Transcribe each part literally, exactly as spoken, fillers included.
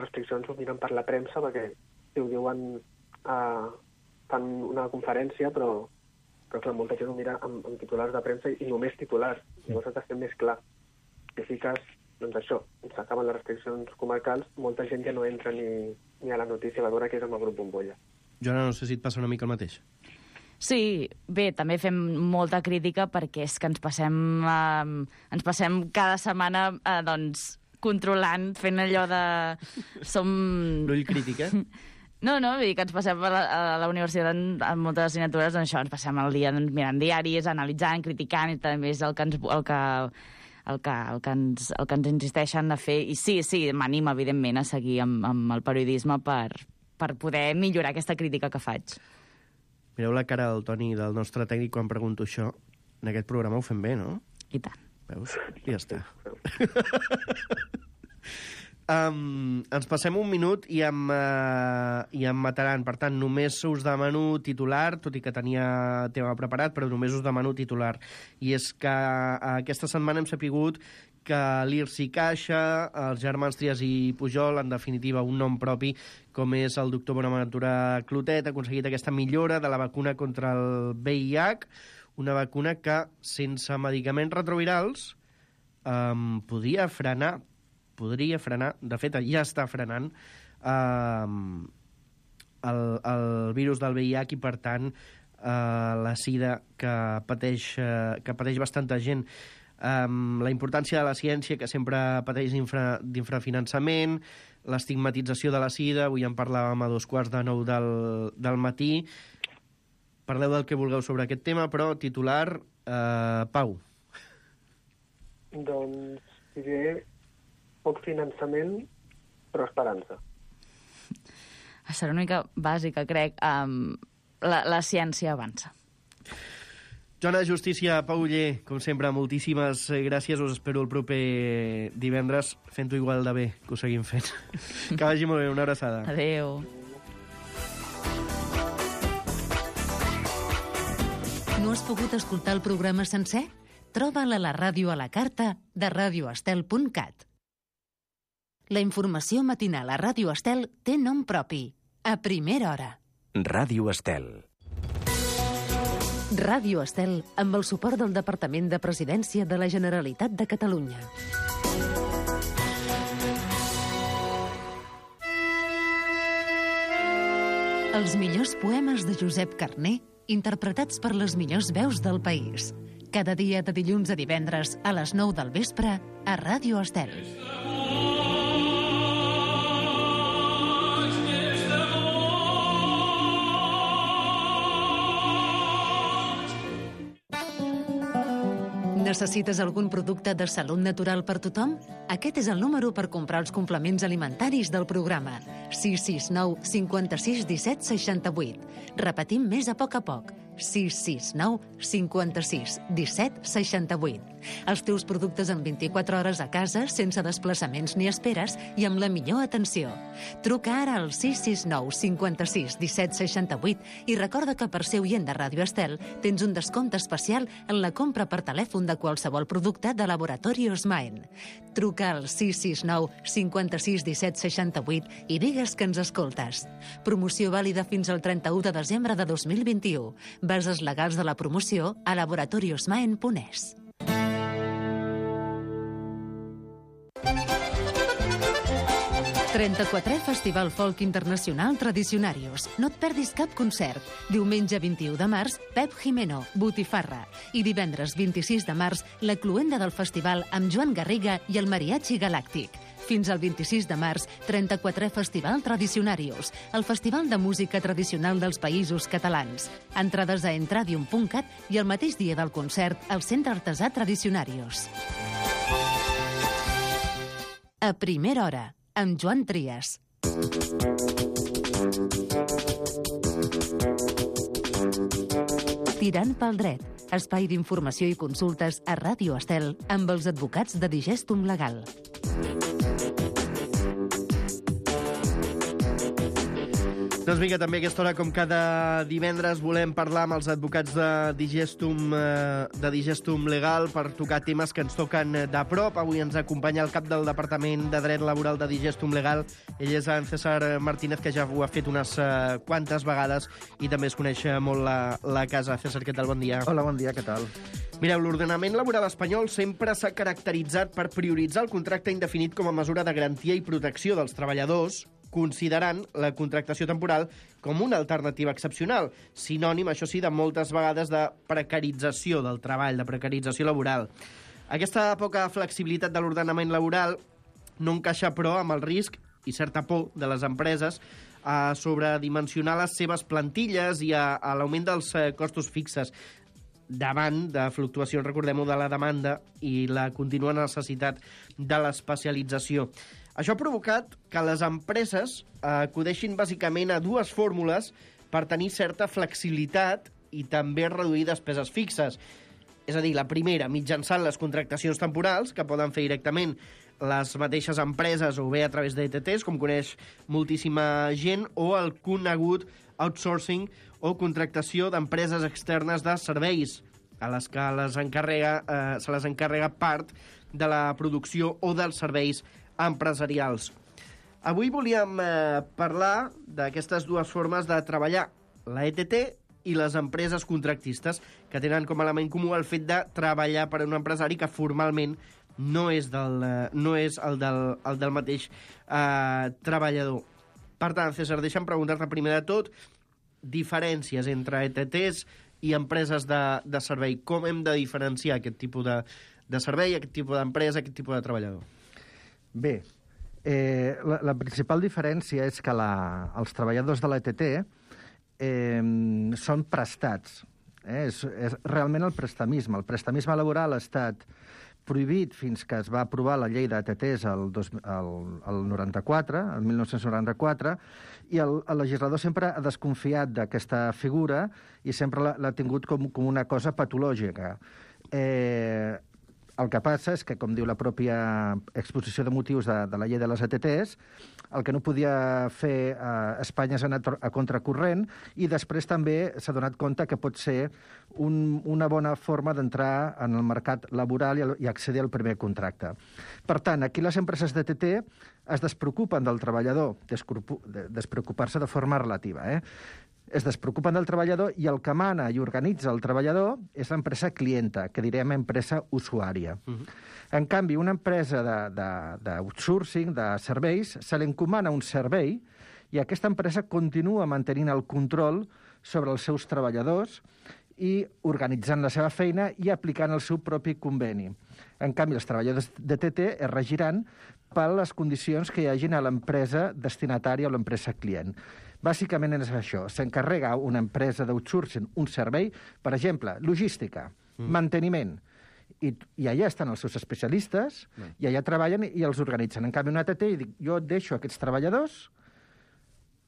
restriccions ho miren per la premsa, perquè si ho diuen, uh, fan una conferència, però, però clar, molta gent ho mira amb, amb titulars de premsa i només titulars. Llavors has de ser més clar. Si fiques, doncs això, s'acaben les restriccions comarcals, molta gent ja no entra ni, ni a la notícia, va veure que és amb el grup Bombolla. Joana, no sé si et passa una mica el mateix. Sí, bé, també fem molta crítica perquè és que ens passem, eh, ens passem cada setmana eh, doncs, controlant, fent allò de... Som... L'ull crític, eh? No, no, vull dir que ens passem a la, a la universitat en, en moltes assignatures, doncs això, ens passem el dia doncs, mirant diaris, analitzant, criticant, i també és el que ens... El que, el que, el que, ens, el que ens insisteixen a fer. I sí, sí, m'anima, evidentment, a seguir amb, amb el periodisme per, per poder millorar aquesta crítica que faig. Mireu la cara del Toni, del nostre tècnic, quan pregunto això. En aquest programa ho fem bé, no? I tant. Veus? I ja està. um, ens passem un minut i em, uh, i em mataran. Per tant, només us demano titular, tot i que tenia tema preparat, però només us demano titular. I és que uh, aquesta setmana hem sapigut que l'I R S I Caixa, els germans Trias i Pujol, en definitiva un nom propi, com és el doctor Bonaventura Clotet, ha aconseguit aquesta millora de la vacuna contra el V I H, una vacuna que, sense medicaments retrovirals, um, podria frenar, podria frenar, de fet, ja està frenant, um, el, el virus del V I H i, per tant, uh, la sida que pateix, uh, que pateix bastanta gent. Um, la importància de la ciència, que sempre pateix infra, d'infrafinançament, l'estigmatització de la sida, avui en parlàvem a dos quarts de nou del, del matí. Parleu del que vulgueu sobre aquest tema, però titular, eh, Pau. Doncs diré poc finançament, però esperança. Serà una mica bàsica, crec. Um, la, la ciència avança. Joana Justícia, Pau Oller, com sempre, moltíssimes gràcies. Us espero el proper divendres fent-ho igual de bé que ho seguim fent. Que vagi molt bé, una abraçada. Adéu. No has pogut escoltar el programa sencer? Troba'l a la ràdio a la carta de radio estel punt cat. La informació matinal a Ràdio Estel té nom propi. A primera hora. Ràdio Estel. Ràdio Estel, amb el suport del Departament de Presidència de la Generalitat de Catalunya. Els millors poemes de Josep Carner, interpretats per les millors veus del país. Cada dia de dilluns a divendres a les nou del vespre a Ràdio Estel. Necessites algun producte de salut natural per tothom? Aquest és el número per comprar els complements alimentaris del programa. sis sis nou cinquanta-sis disset seixanta-vuit. Repetim més a poc a poc. sis sis nou cinquanta-sis disset seixanta-vuit. Els teus productes en vint-i-quatre hores a casa, sense desplaçaments ni esperes i amb la millor atenció. Truca ara al sis sis nou cinquanta-sis disset seixanta-vuit i recorda que per ser oient de Ràdio Estel tens un descompte especial en la compra per telèfon de qualsevol producte de Laboratori Osmaen. Truca al sis sis nou cinquanta-sis disset seixanta-vuit i digues que ens escoltes. Promoció vàlida fins al trenta-u de desembre de dos mil vint-i-u. Bases legals de la promoció a laboratori osmaen punt es. trenta-quatrè Festival Folk Internacional Tradicionarios. No et perdis cap concert. Diumenge vint-i-u de març, Pep Jimeno, Botifarra. I divendres vint-i-sis de març, la cloenda del festival amb Joan Garriga i el Mariachi Galàctic. Fins al vint-i-sis de març, trenta-quatrè Festival Tradicionarios, el festival de música tradicional dels països catalans. Entrades a entradium punt cat i el mateix dia del concert al Centre Artesà Tradicionarios. A primera hora, amb Joan Trias. Tirant pel dret, espai d'informació i consultes a Ràdio Estel amb els advocats de Digestum Legal. Doncs vinga, també a aquesta hora, com cada divendres, volem parlar amb els advocats de Digestum, eh, de Digestum Legal per tocar temes que ens toquen de prop. Avui ens acompanya el cap del Departament de Dret Laboral de Digestum Legal. Ell és en César Martínez, que ja ho ha fet unes eh, quantes vegades i també es coneix molt la, la casa. César, què tal? Bon dia. Hola, bon dia, què tal? Mireu, l'ordenament laboral espanyol sempre s'ha caracteritzat per prioritzar el contracte indefinit com a mesura de garantia i protecció dels treballadors, considerant la contractació temporal com una alternativa excepcional, sinònim, això sí, de moltes vegades de precarització del treball, de precarització laboral. Aquesta poca flexibilitat de l'ordenament laboral no encaixa, però, amb el risc i certa por de les empreses a sobredimensionar les seves plantilles i a, a l'augment dels eh, costos fixes davant de fluctuacions, recordem-ho, de la demanda i la contínua necessitat de l'especialització. Això ha provocat que les empreses acudeixin bàsicament a dues fórmules per tenir certa flexibilitat i també reduir despeses fixes. És a dir, la primera, mitjançant les contractacions temporals, que poden fer directament les mateixes empreses o bé a través d'E T Ts, com coneix moltíssima gent, o el conegut outsourcing o contractació d'empreses externes de serveis, a les que les encarrega, eh, se les encarrega part de la producció o dels serveis empresarials. Avui volíem eh, parlar d'aquestes dues formes de treballar, la E T T i les empreses contractistes, que tenen com a element comú el fet de treballar per a un empresari que formalment no és, del, eh, no és el, del, el del mateix eh, treballador. Per tant, César, deixa'm preguntar-te primer de tot diferències entre E T Ts i empreses de, de servei. Com hem de diferenciar aquest tipus de, de servei, aquest tipus d'empresa, aquest tipus de treballador? Bé, eh, la, la principal diferència és que la, els treballadors de l'E T T eh, són prestats. Eh? És, és realment el prestamisme. El prestamisme laboral ha estat prohibit fins que es va aprovar la llei d'E T Ts el, dos, el, el noranta-quatre, el mil nou-cents noranta-quatre, i el, el legislador sempre ha desconfiat d'aquesta figura i sempre l'ha tingut com, com una cosa patològica. Eh, El que passa és que, com diu la pròpia exposició de motius de, de la llei de les E T Ts, el que no podia fer eh, Espanya és anar a contracorrent i després també s'ha donat compte que pot ser un, una bona forma d'entrar en el mercat laboral i, i accedir al primer contracte. Per tant, aquí les empreses d'E T T es despreocupen del treballador, despreocupar-se de forma relativa, eh? es despreocupen del treballador i el que mana i organitza el treballador és l'empresa clienta, que direm empresa usuària. Uh -huh. En canvi, una empresa d'outsourcing, de, de, de serveis, se li encomana un servei i aquesta empresa continua mantenint el control sobre els seus treballadors i organitzant la seva feina i aplicant el seu propi conveni. En canvi, els treballadors d'E T T es regiran per les condicions que hi hagin a l'empresa destinatària o l'empresa client. Bàsicament és això. S'encarrega una empresa d'outsourcing un servei, per exemple, logística, mm. manteniment, i, i allà estan els seus especialistes, mm. i allà treballen i els organitzen. En canvi, una E T T, dic, jo deixo aquests treballadors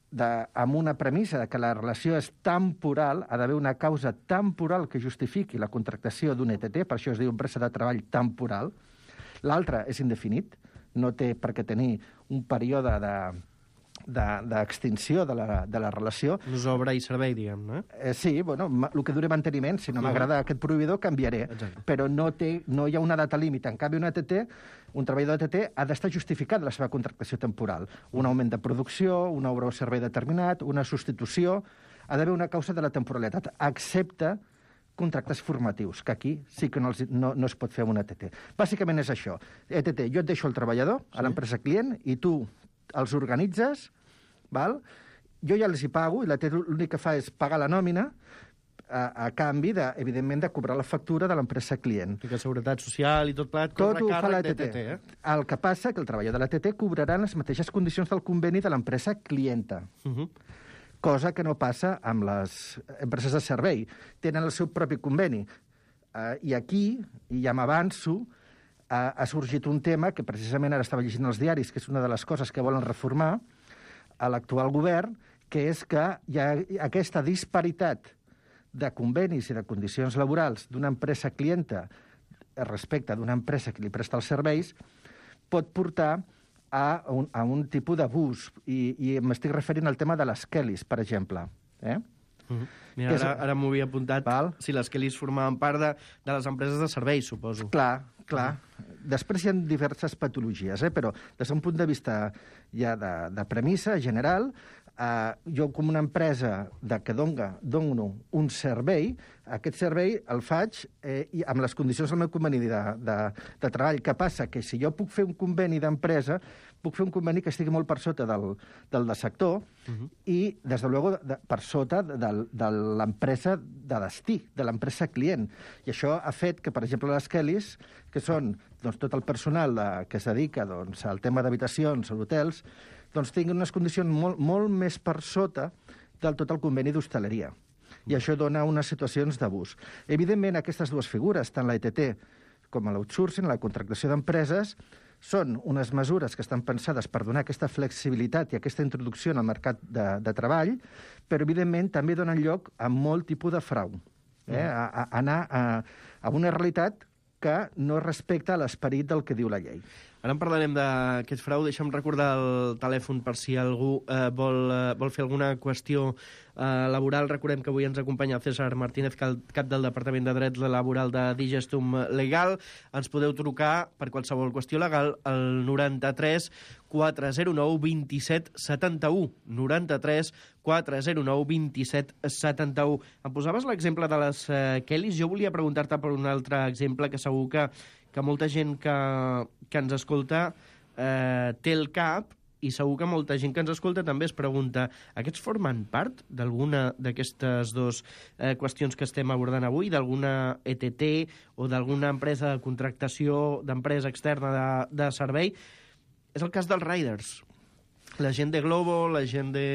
de, amb una premissa de que la relació és temporal, ha d'haver una causa temporal que justifiqui la contractació d'un E T T, per això es diu empresa de treball temporal. L'altre és indefinit, no té per què tenir un període de... d'extinció de, de, la, de la relació. És obra i servei, diguem, no? Eh, sí, bueno, el que dure manteniment, si no uh-huh. m'agrada aquest proveïdor, canviaré. Exacte. Però no, té, no hi ha una data límit. En canvi, un E T T, un treballador d'E T T ha d'estar justificat la seva contractació temporal. Un augment de producció, una obra o servei determinat, una substitució... Ha d'haver una causa de la temporalitat, excepte contractes formatius, que aquí sí que no, els, no, no es pot fer amb un E T T. Bàsicament és això. E T T, jo et deixo el treballador a l'empresa client i tu els organitzes, val? Jo ja els hi pago, i la T T l'únic que fa és pagar la nòmina a, a canvi, de, evidentment, de cobrar la factura de l'empresa client. I que seguretat social i tot plat, tot ho fa l'E T T. Eh? El que passa que el treballador de l'E T T cobrarà les mateixes condicions del conveni de l'empresa clienta. Uh -huh. Cosa que no passa amb les empreses de servei. Tenen el seu propi conveni. Uh, I aquí, i ja m'avanço, ha sorgit un tema que precisament ara estava llegint els diaris, que és una de les coses que volen reformar a l'actual govern, que és que hi ha aquesta disparitat de convenis i de condicions laborals d'una empresa clienta respecte d'una empresa que li presta els serveis, pot portar a un, a un tipus d'abús. I, i m'estic referint al tema de les Kellys, per exemple. Eh? Uh-huh. Mira, ara, ara m'ho havia apuntat. Val. Si les Kellys formaven part de, de les empreses de serveis, suposo. Clar, clar. Uh-huh. Després hi ha diverses patologies, eh? Però des d'un punt de vista ja de, de premissa general, eh, jo com una empresa de que dona, dono un servei, aquest servei el faig eh, i amb les condicions del meu conveni de, de, de treball. Què passa? Que si jo puc fer un conveni d'empresa, puc fer un conveni que estigui molt per sota del, del de sector uh-huh. i, des de luego, de, per sota de, de l'empresa de destí, de l'empresa client. I això ha fet que, per exemple, les Kellys, que són doncs, tot el personal de, que es dedica doncs, al tema d'habitacions o hotels, doncs tinguin unes condicions molt, molt més per sota del tot el conveni d'hostaleria. I això dona unes situacions d'abús. Evidentment, aquestes dues figures, tant la E T T com l'outsourcing, la contractació d'empreses, són unes mesures que estan pensades per donar aquesta flexibilitat i aquesta introducció en el mercat de, de treball, però, evidentment, també donen lloc a molt tipus de frau. Eh? A, a anar a, a una realitat que no respecta l'esperit del que diu la llei. Ara en parlarem d'aquest frau. Deixa'm recordar el telèfon per si algú eh, vol, eh, vol fer alguna qüestió eh, laboral. Recordem que avui ens acompanya el César Martínez, cap del Departament de Dret Laboral de Digestum Legal. Ens podeu trucar per qualsevol qüestió legal al noranta-tres quatre zero nou vint-i-set setanta-u. noranta-tres quatre zero nou vint-i-set setanta-u. Em posaves l'exemple de les eh, Kellys. Jo volia preguntar-te per un altre exemple que segur que que molta gent que, que ens escolta eh, té el cap i segur que molta gent que ens escolta també es pregunta, aquests formen part d'alguna d'aquestes dues eh, qüestions que estem abordant avui, d'alguna E T T o d'alguna empresa de contractació d'empresa externa de, de servei? És el cas dels riders. La gent de Glovo, la gent de...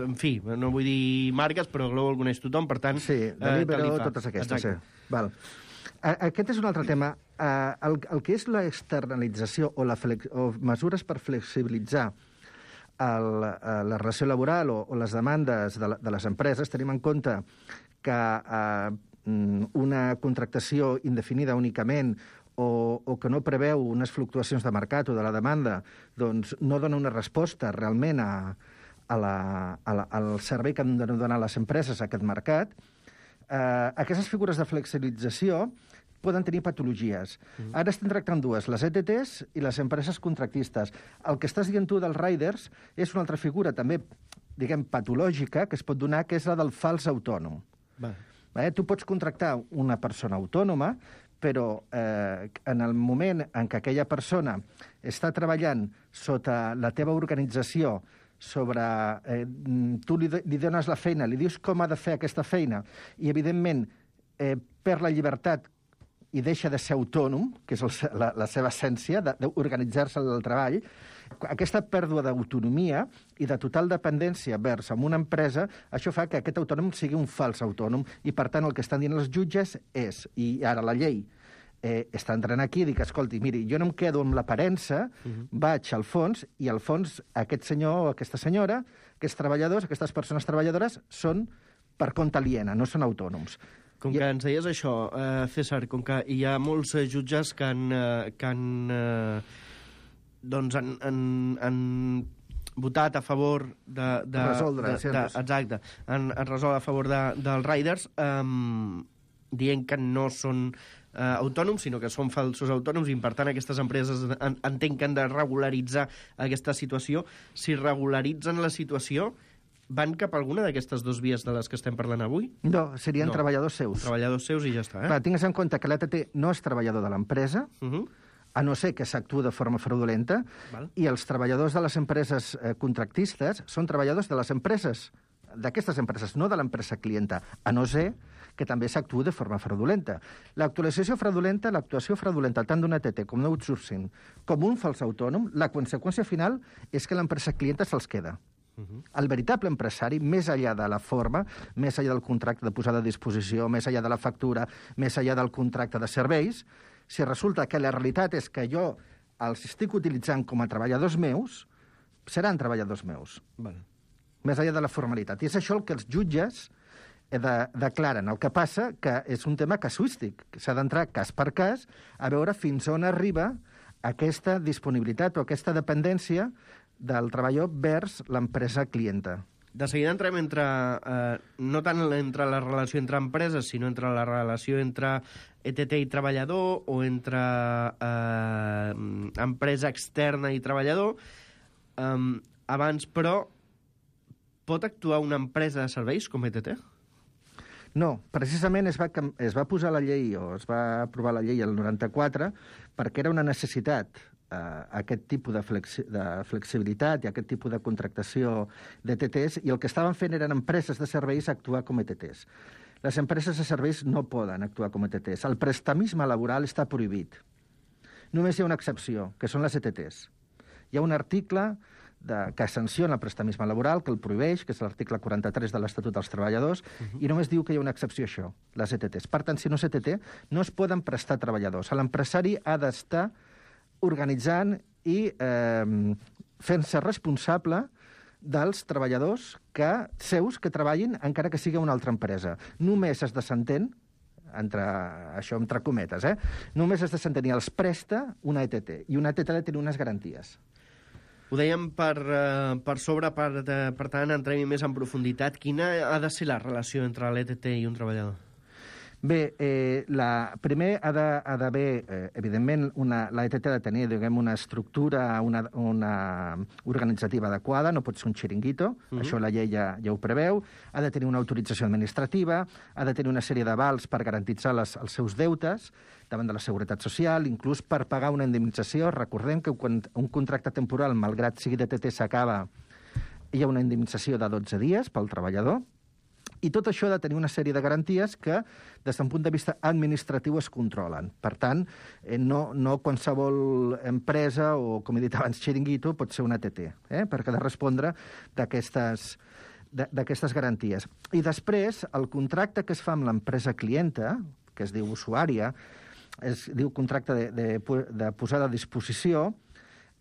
En fi, no vull dir marques, però Glovo el coneix tothom, per tant... Sí, Deliveroo, eh, totes aquestes, Exacte. sí. Val. Aquest és un altre tema. El, el que és l'externalització o, la flex, o mesures per flexibilitzar el, la relació laboral o, o les demandes de, la, de les empreses, tenim en compte que eh, una contractació indefinida únicament o, o que no preveu unes fluctuacions de mercat o de la demanda, doncs no dona una resposta realment a, a la, a la, al servei que han de donar les empreses a aquest mercat. Eh, aquestes figures de flexibilització poden tenir patologies. Mm. Ara estem tractant dues, les E T Ts i les empreses contractistes. El que estàs dient tu dels riders és una altra figura també, diguem, patològica, que es pot donar, que és la del fals autònom. Va. Eh, tu pots contractar una persona autònoma, però eh, en el moment en què aquella persona està treballant sota la teva organització, sobre... Eh, tu li, li dones la feina, li dius com ha de fer aquesta feina, i, evidentment, eh, perd la llibertat i deixa de ser autònom, que és el, la, la seva essència, d'organitzar-se el treball, aquesta pèrdua d'autonomia i de total dependència vers amb una empresa, això fa que aquest autònom sigui un fals autònom, i, per tant, el que estan dient els jutges és, i ara la llei eh, està entrant aquí i dic, escolti, miri, jo no em quedo amb l'aparença, uh-huh. vaig al fons, i al fons aquest senyor o aquesta senyora, aquests treballadors, aquestes persones treballadores, són per compte aliena, no són autònoms. Com que ens deies això, eh, César, com que hi ha molts eh, jutges que han, eh, que han, eh, doncs han, han, han votat a favor de... de resoldre, de, de, exacte, han, han resolt a favor de, dels riders, eh, dient que no són eh, autònoms, sinó que són falsos autònoms, i per tant aquestes empreses en, entenc que han de regularitzar aquesta situació. Si regularitzen la situació, van cap a alguna d'aquestes dues vies de les que estem parlant avui? No, serien no. treballadors seus. Treballadors seus i ja està, eh? Clar, tingues en compte que l'E T T no és treballador de l'empresa, Uh -huh. a no ser que s'actua de forma fraudulenta, Val. i els treballadors de les empreses eh, contractistes són treballadors de les empreses, d'aquestes empreses, no de l'empresa clienta, a no ser que també s'actua de forma fraudulenta. L'actualització fraudulenta, l'actuació fraudulenta tant d'un E T T com d'un outsourcing com un fals autònom, la conseqüència final és que l'empresa clienta se'ls queda. Uh-huh. El veritable empresari, més enllà de la forma, més enllà del contracte de posada a disposició, més enllà de la factura, més enllà del contracte de serveis, si resulta que la realitat és que jo els estic utilitzant com a treballadors meus, seran treballadors meus. Val. Més enllà de la formalitat. I és això el que els jutges de, declaren. El que passa que és un tema casuístic, que s'ha d'entrar cas per cas a veure fins on arriba aquesta disponibilitat o aquesta dependència del treballador vers l'empresa clienta. De seguida entrem entre, eh, no tant entre la relació entre empreses, sinó entre la relació entre E T T i treballador o entre eh, empresa externa i treballador. Um, abans, però, pot actuar una empresa de serveis com E T T? No, precisament es va, es va posar la llei, o es va aprovar la llei el noranta-quatre, perquè era una necessitat eh, aquest tipus de, flexi de flexibilitat i aquest tipus de contractació d'E T Ts, i el que estaven fent eren empreses de serveis actuar com E T Ts. Les empreses de serveis no poden actuar com E T Ts. El prestamisme laboral està prohibit. Només hi ha una excepció, que són les E T Ts. Hi ha un article de, que sanciona el prestamisme laboral, que el prohibeix, que és l'article quaranta-tres de l'Estatut dels Treballadors, uh-huh. i només diu que hi ha una excepció a això, les E T Ts. Per tant, si no és E T T, no es poden prestar treballadors. L'empresari ha d'estar organitzant i eh, fent-se responsable dels treballadors que, seus que treballin encara que sigui una altra empresa. Només es desentén, entre, això entre cometes, eh? només es desentén i els presta una E T T, i una E T T ha de tenir unes garanties. Ho dèiem per, uh, per sobre, per, de, per tant, entrem més en profunditat. Quina ha de ser la relació entre l'E T T i un treballador? Bé, eh, la, primer ha d'haver, eh, evidentment, una, la E T T ha de tenir, diguem, una estructura, una, una organitzativa adequada, no pot ser un xiringuito, uh-huh. això la llei ja, ja ho preveu, ha de tenir una autorització administrativa, ha de tenir una sèrie d'avals per garantitzar les, els seus deutes davant de la Seguretat Social, inclús per pagar una indemnització. Recordem que quan un contracte temporal, malgrat sigui d'E T T, s'acaba, hi ha una indemnització de dotze dies pel treballador, i tot això ha de tenir una sèrie de garanties que, des d'un punt de vista administratiu, es controlen. Per tant, eh, no, no qualsevol empresa o, com he dit abans, xiringuito, pot ser una E T T, eh? perquè ha de respondre d'aquestes d'aquestes garanties. I després, el contracte que es fa amb l'empresa clienta, que es diu usuària, es diu contracte de, de, de posada a disposició,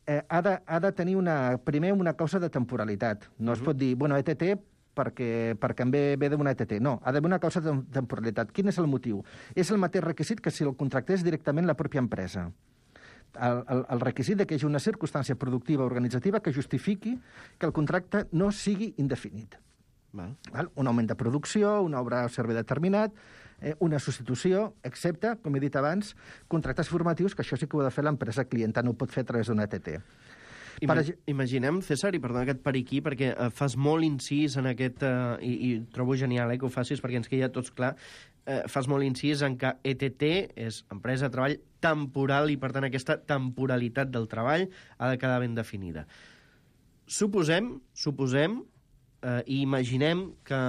eh, ha, de, ha de tenir una, primer una causa de temporalitat. No es pot dir, bueno, E T T perquè, perquè em ve, ve d'una E T T. No, ha d'haver una causa de temporalitat. Quin és el motiu? És el mateix requisit que si el contractés directament la pròpia empresa. El, el, el requisit de que hi hagi una circumstància productiva organitzativa que justifiqui que el contracte no sigui indefinit. Val. Val? Un augment de producció, una obra o servei determinat, eh, una substitució, excepte, com he dit abans, contractes formatius, que això sí que ho ha de fer l'empresa clienta, no ho pot fer a través d'una E T T. Ima Imaginem, César, i perdona que et pari aquí, perquè uh, fas molt incís en aquest... Uh, i, I trobo genial eh, que ho facis, perquè ens queda tots clar. Uh, fas molt incís en que E T T és empresa de treball temporal i, per tant, aquesta temporalitat del treball ha de quedar ben definida. Suposem, suposem, uh, i imaginem que,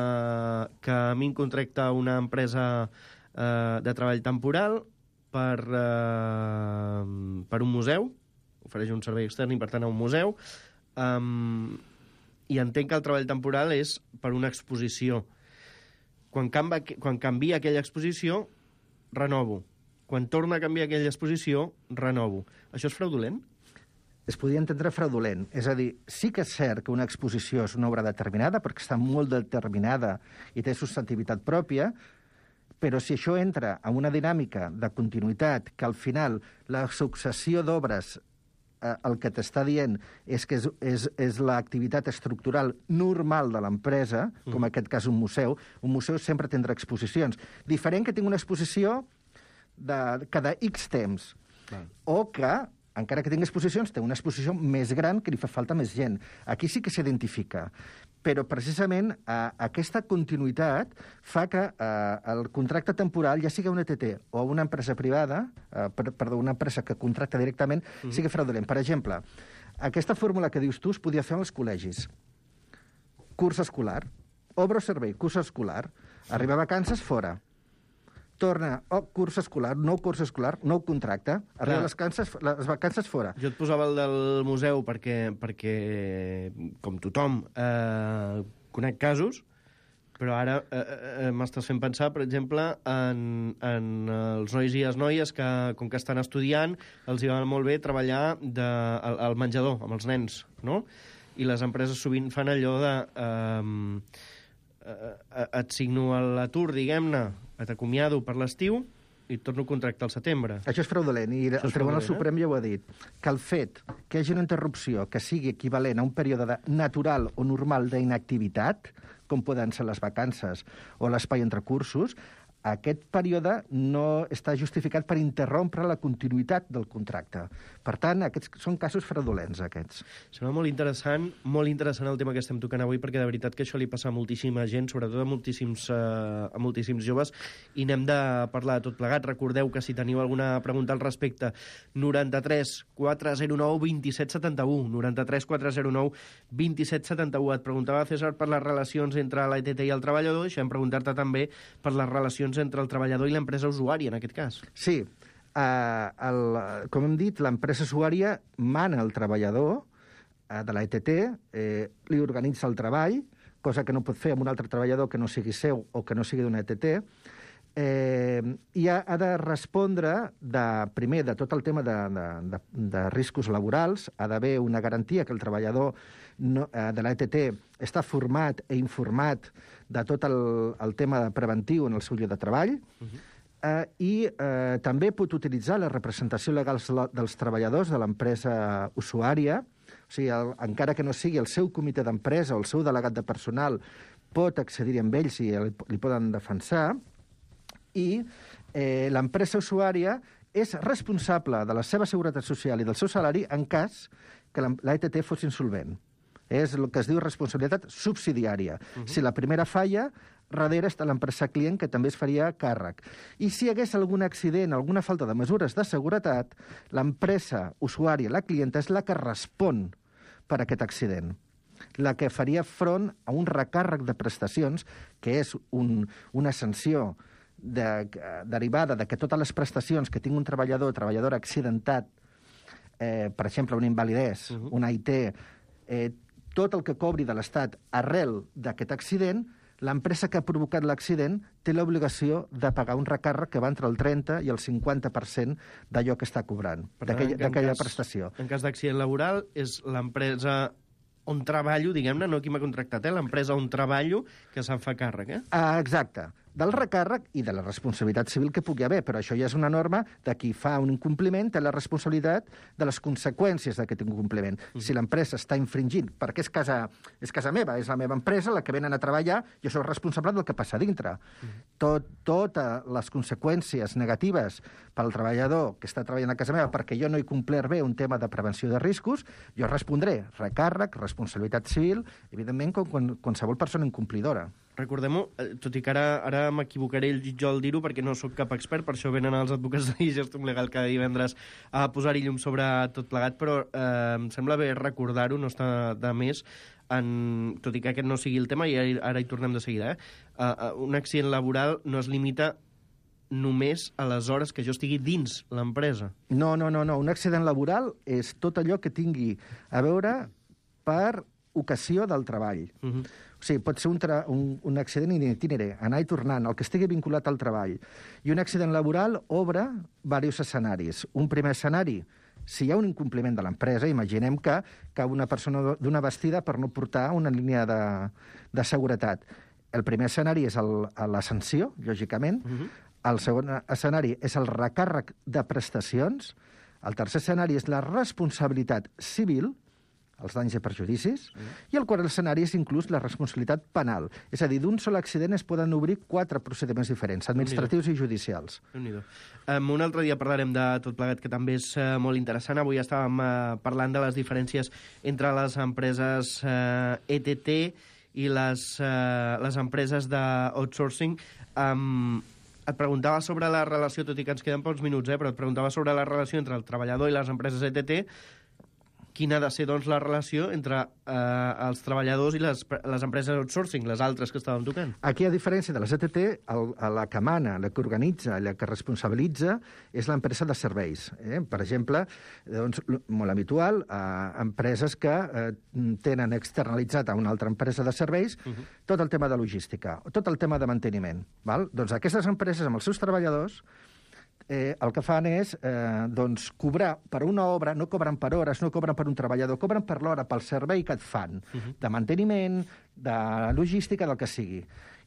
que a mi em contracta una empresa uh, de treball temporal per, uh, per un museu, ofereix un servei extern i, per tant, a un museu, um, i entenc que el treball temporal és per una exposició. Quan, canva, quan canvia aquella exposició, renovo. Quan torna a canviar aquella exposició, renovo. Això és fraudulent? Es podria entendre fraudulent. És a dir, sí que és cert que una exposició és una obra determinada, perquè està molt determinada i té substantivitat pròpia, però si això entra en una dinàmica de continuïtat, que al final la successió d'obres el que t'està dient és que és, és, és l'activitat estructural normal de l'empresa, com en aquest cas un museu. Un museu sempre tindrà exposicions. Diferent que tingui una exposició de cada X temps. Clar. O que, encara que tingui exposicions, té una exposició més gran que li fa falta més gent. Aquí sí que s'identifica. Però precisament eh, aquesta continuïtat fa que eh, el contracte temporal, ja sigui una E T T o una empresa privada, eh, per, perdó, una empresa que contracta directament, mm-hmm. sigui fraudulent. Per exemple, aquesta fórmula que dius tu es podia fer als col·legis. Curs escolar, obra o servei, curs escolar, arriba a vacances, fora. Torna, oh, curs escolar, nou curs escolar, nou contracte, arriba les, canses, les vacances fora. Jo et posava el del museu perquè, perquè com tothom, eh, conec casos, però ara eh, eh, m'estàs fent pensar, per exemple, en, en els nois i les noies que, com que estan estudiant, els hi va molt bé treballar de, al, al menjador, amb els nens, no? I les empreses sovint fan allò de... Eh, et signo a l'atur, diguem-ne, t'acomiado per l'estiu, i torno a contractar al setembre. Això és fraudulent, i el Tribunal Suprem ja ho ha dit, que el fet que hi hagi una interrupció que sigui equivalent a un període de natural o normal d'inactivitat, com poden ser les vacances o l'espai entre cursos, aquest període no està justificat per interrompre la continuïtat del contracte. Per tant, aquests són casos fraudulents, aquests. Sembla molt interessant, molt interessant el tema que estem tocant avui, perquè de veritat que això li passa a moltíssima gent, sobretot a moltíssims, uh, a moltíssims joves, i n'hem de parlar de tot plegat. Recordeu que si teniu alguna pregunta al respecte, noranta-tres quatre zero nou vint set setanta-u, noranta-tres quatre zero nou vint set setanta-u. Et preguntava, César, per les relacions entre l'E T T i el treballador, deixem preguntar-te també per les relacions entre el treballador i l'empresa usuària, en aquest cas. Sí. Uh, el, com hem dit, l'empresa usuària mana el treballador uh, de l'E T T, eh, li organitza el treball, cosa que no pot fer amb un altre treballador que no sigui seu o que no sigui d'una E T T, eh, i ha, ha de respondre, de, primer, de tot el tema de, de, de, de riscos laborals, ha d'haver una garantia que el treballador no, eh, de l'E T T està format i informat de tot el, el tema preventiu en el seu lloc de treball, uh-huh. eh, i eh, també pot utilitzar la representació legal dels treballadors de l'empresa usuària, o sigui, el, encara que no sigui el seu comitè d'empresa o el seu delegat de personal, pot accedir amb ells i li, li poden defensar, i eh, l'empresa usuària és responsable de la seva seguretat social i del seu salari en cas que l'E T T fos insolvent. És el que es diu responsabilitat subsidiària. Uh-huh. Si la primera falla, darrere està l'empresa client, que també es faria càrrec. I si hi hagués algun accident, alguna falta de mesures de seguretat, l'empresa usuària, la clienta, és la que respon per aquest accident. La que faria front a un recàrrec de prestacions, que és un, una sanció de, derivada de que totes les prestacions que tingui un treballador o treballadora accidentat, eh, per exemple, una invalidesa, uh-huh. una I T, eh, tot el que cobri de l'Estat arrel d'aquest accident, l'empresa que ha provocat l'accident té l'obligació de pagar un recàrrec que va entre el trenta i el cinquanta per cent d'allò que està cobrant, d'aquella prestació. En cas d'accident laboral, és l'empresa on treballo, diguem-ne, no qui m'ha contractat, eh? L'empresa on treballo que se'n fa càrrec, eh? Ah, exacte. Del recàrrec i de la responsabilitat civil que pugui haver, però això ja és una norma de qui fa un incompliment té la responsabilitat de les conseqüències d'aquest incompliment. Mm. Si l'empresa està infringint, perquè és casa, és casa meva, és la meva empresa, la que venen a treballar, jo soc responsable del que passa a dintre. Mm. Tot, totes les conseqüències negatives pel treballador que està treballant a casa meva perquè jo no he complert bé un tema de prevenció de riscos, jo respondré recàrrec, responsabilitat civil, evidentment, com, com qualsevol persona incomplidora. Recordem-ho, tot i que ara, ara m'equivocaré jo al dir-ho perquè no sóc cap expert, per això venen els advocats de Gestum Legal cada divendres a posar-hi llum sobre tot plegat, però eh, em sembla bé recordar-ho, no està de més, en, tot i que aquest no sigui el tema, i ara hi tornem de seguida, eh? Uh, un accident laboral no es limita només a les hores que jo estigui dins l'empresa. No, no, no, no. Un accident laboral és tot allò que tingui a veure per ocasió del treball. Uh-huh. O sigui, pot ser un, tra un, un accident itinere, anar i tornant, el que estigui vinculat al treball. I un accident laboral obre diversos escenaris. Un primer escenari, si hi ha un incompliment de l'empresa, imaginem que cau una persona d'una vestida per no portar una línia de, de seguretat. El primer escenari és el, la sanció, lògicament. Uh-huh. El segon escenari és el recàrrec de prestacions. El tercer escenari és la responsabilitat civil, els danys i perjudicis, mm. i el quart escenari és inclús la responsabilitat penal. És a dir, d'un sol accident es poden obrir quatre procediments diferents, administratius i judicials. Um, un altre dia parlarem de tot plegat, que també és uh, molt interessant. Avui estàvem uh, parlant de les diferències entre les empreses uh, E T T i les, uh, les empreses d'outsourcing. Um, et preguntava sobre la relació, tot i que ens queden pocs minuts, eh, però et preguntava sobre la relació entre el treballador i les empreses E T T. Quina ha de ser, doncs, la relació entre eh, els treballadors i les, les empreses outsourcing, les altres que estàvem tocant? Aquí, a diferència de les E T T, el, la que mana, la que organitza, la que responsabilitza, és l'empresa de serveis. Eh? Per exemple, doncs, molt habitual, eh, empreses que eh, tenen externalitzat a una altra empresa de serveis uh-huh. tot el tema de logística, tot el tema de manteniment. Val? Doncs aquestes empreses, amb els seus treballadors, Eh, el que fan és eh, doncs, cobrar per una obra, no cobren per hores, no cobren per un treballador, cobren per l'hora, pel servei que et fan, uh-huh. de manteniment, de logística, del que sigui.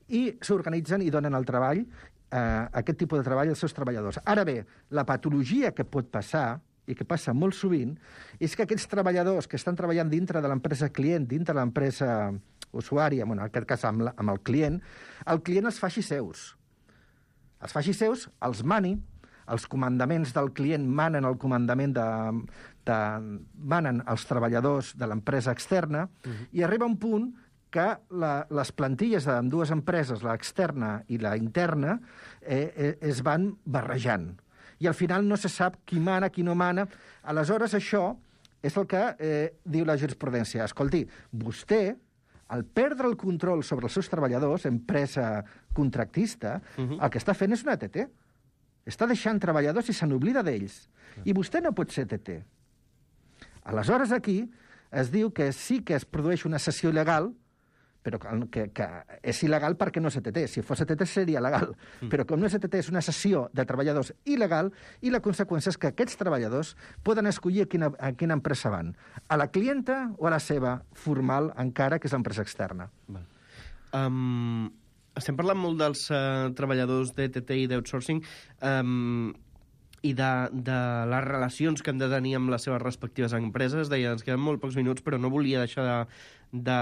I s'organitzen i donen el treball eh, aquest tipus de treball als seus treballadors. Ara bé, la patologia que pot passar, i que passa molt sovint, és que aquests treballadors que estan treballant dintre de l'empresa client, dintre de l'empresa usuària, bueno, en aquest cas amb, la, amb el client, el client els faci seus. Els faci seus, els mani, els comandaments del client manen el comandament de, de manen els treballadors de l'empresa externa, uh-huh. i arriba un punt que la, les plantilles d'ambdues empreses, l'externa i la interna, eh, eh, es van barrejant. I al final no se sap qui mana, qui no mana. Aleshores, això és el que eh, diu la jurisprudència. Escolti, vostè, al perdre el control sobre els seus treballadors, empresa contractista, uh-huh. el que està fent és una E T T. Està deixant treballadors i se n'oblida d'ells. I vostè no pot ser E T T. Aleshores, aquí es diu que sí que es produeix una cessió il·legal, però que, que és il·legal perquè no és E T T. Si fos E T T seria legal. Mm. Però com no és E T T, és una cessió de treballadors il·legal, i la conseqüència és que aquests treballadors poden escollir a quina, a quina empresa van. A la clienta o a la seva formal, encara, que és l'empresa externa. Val. Um, estem parlant molt dels uh, treballadors d'E T T i d'outsourcing, um, i de, de les relacions que han de tenir amb les seves respectives empreses. Deia, ens queden molt pocs minuts, però no volia deixar de, de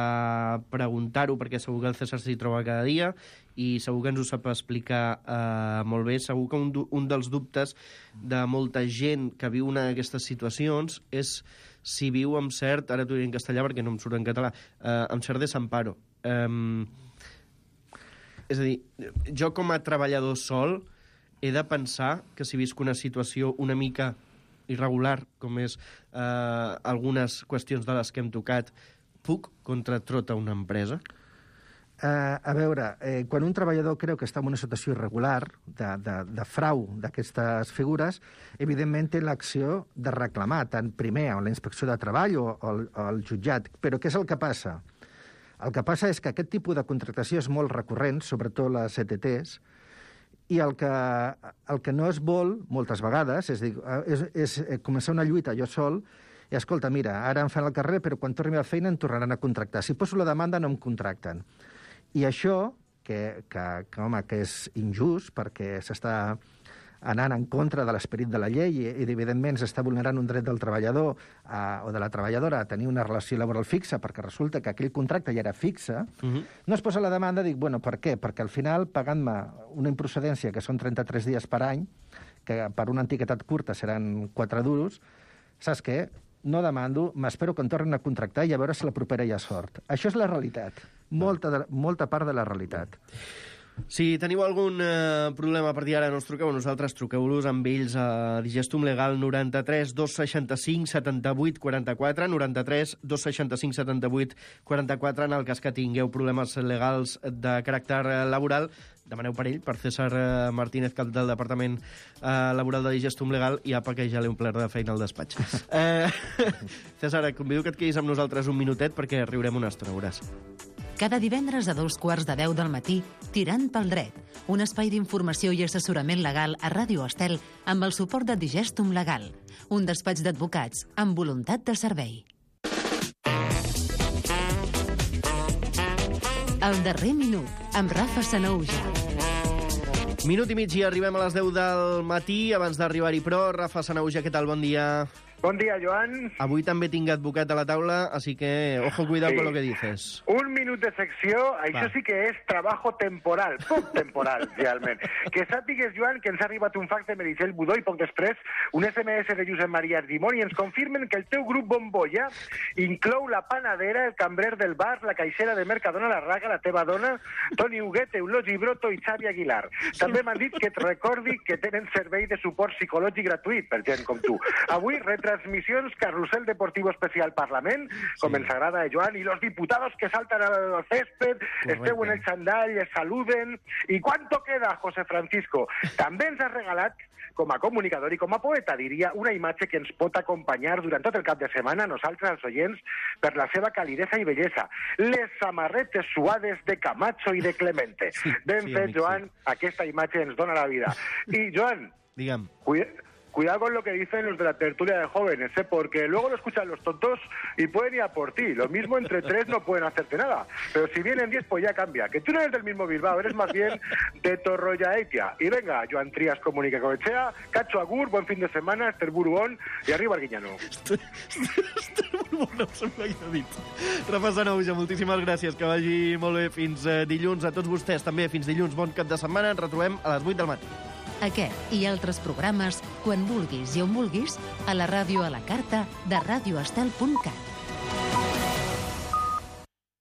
preguntar-ho, perquè segur que el César s'hi troba cada dia i segur que ens ho sap explicar eh, molt bé. Segur que un, un dels dubtes de molta gent que viu una d'aquestes situacions és si viu amb cert, ara t'ho diré en castellà perquè no em surt en català, eh, amb cert desamparo. Eh, és a dir, jo com a treballador sol he de pensar que si visc una situació una mica irregular, com és eh, algunes qüestions de les que hem tocat, puc contratrota una empresa? Uh, a veure, eh, quan un treballador creu que està en una situació irregular, de, de, de frau d'aquestes figures, evidentment té l'acció de reclamar, tant primer a la inspecció de treball o, o, o al jutjat. Però què és el que passa? El que passa és que aquest tipus de contractació és molt recurrent, sobretot les E T Tes, i el que, el que no es vol, moltes vegades, és, dir, és, és començar una lluita jo sol, i escolta, mira, ara em fan el carrer, però quan torni a la feina em tornaran a contractar. Si poso la demanda no em contracten. I això, que, que, que, home, que és injust, perquè s'està anant en contra de l'esperit de la llei i, i evidentment s'està vulnerant un dret del treballador a, o de la treballadora a tenir una relació laboral fixa, perquè resulta que aquell contracte ja era fixe, uh-huh. no es posa la demanda, dic, bueno, per què? Perquè al final, pagant-me una improcedència, que són trenta-tres dies per any, que per una antiguitat curta seran quatre duros, saps què? No demando, m'espero que em tornin a contractar i a veure si la propera hi ha sort. Això és la realitat, molta, de, molta part de la realitat. Si teniu algun eh, problema a partir d'ara, no us truqueu a nosaltres, truqueu-los amb ells a Digestum Legal noranta-tres dos seixanta-cinc setanta-vuit quaranta-quatre, noranta-tres dos seixanta-cinc setanta-vuit quaranta-quatre, en el cas que tingueu problemes legals de caràcter laboral, demaneu per ell, per César Martínez, cap del Departament eh, Laboral de Digestum Legal, i apa, que ja l'he omplert de feina al despatx. eh, César, et convido que et quedis amb nosaltres un minutet perquè riurem una estona, veuràs. Cada divendres a dos quarts de deu del matí, Tirant pel dret, un espai d'informació i assessorament legal a Ràdio Estel amb el suport de Digestum Legal, un despatx d'advocats amb voluntat de servei. El darrer minut, amb Rafa Sanauja. Minut i mig i arribem a les deu del matí. Abans d'arribar-hi, però, Rafa Sanauja, què tal? Bon dia. Bon dia, Joan. Avui també tinc advocat a la taula, así que ojo, cuidado sí. con lo que dices. Un minut de secció, això Va. sí que és trabajo temporal, poc temporal, realment. Que sàpigues, Joan, que ens ha arribat un fax de Meritxell Budó i poc després un S M S de Josep Maria Argimon i ens confirmen que el teu grup Bombolla inclou la panadera, el cambrer del bar, la caixera de Mercadona, la Raga, la teva dona, Toni Huguet, Eulogi Broto i Xavi Aguilar. També m'han dit que et recordi que tenen servei de suport psicològic gratuït per gent com tu. Avui retransmissions Carrusel Deportivo Especial Parlament, com sí. ens agrada a Joan, i los diputados que saltan al césped, esteu en el xandall, es saluden. I ¿cuánto queda, José Francisco? També ens has regalat, com a comunicador i com a poeta, diria, una imatge que ens pot acompanyar durant tot el cap de setmana a nosaltres, als oients, per la seva calidesa i bellesa. Les samarretes suades de Camacho i de Clemente. Sí, ben sí, fet, amic, Joan, sí. Aquesta imatge ens dona la vida. I, Joan, Digue'm. Cuida, cuidado con lo que dicen los de la tertulia de jóvenes, ¿eh? Porque luego lo escuchan los tontos y pueden ir a por ti. Lo mismo entre tres no pueden hacerte nada. Pero si vienen diez, pues ya cambia. Que tú no eres del mismo Bilbao, eres más bien de Torroyaetia. Y venga, Joan Trías, Comunica Coechea, Cacho Agur, buen fin de semana, Esther Buruón i arriba Arguiñano. Esther Buruón, em sembla que he dit. Rafa Sanouja, moltíssimes gràcies, que vagi molt bé fins eh, dilluns. A tots vostès també, fins dilluns, bon cap de setmana. Ens retrobem a les vuit del matí. Aquest i altres programes, quan vulguis i on vulguis, a la ràdio a la carta de radioestel punt cat.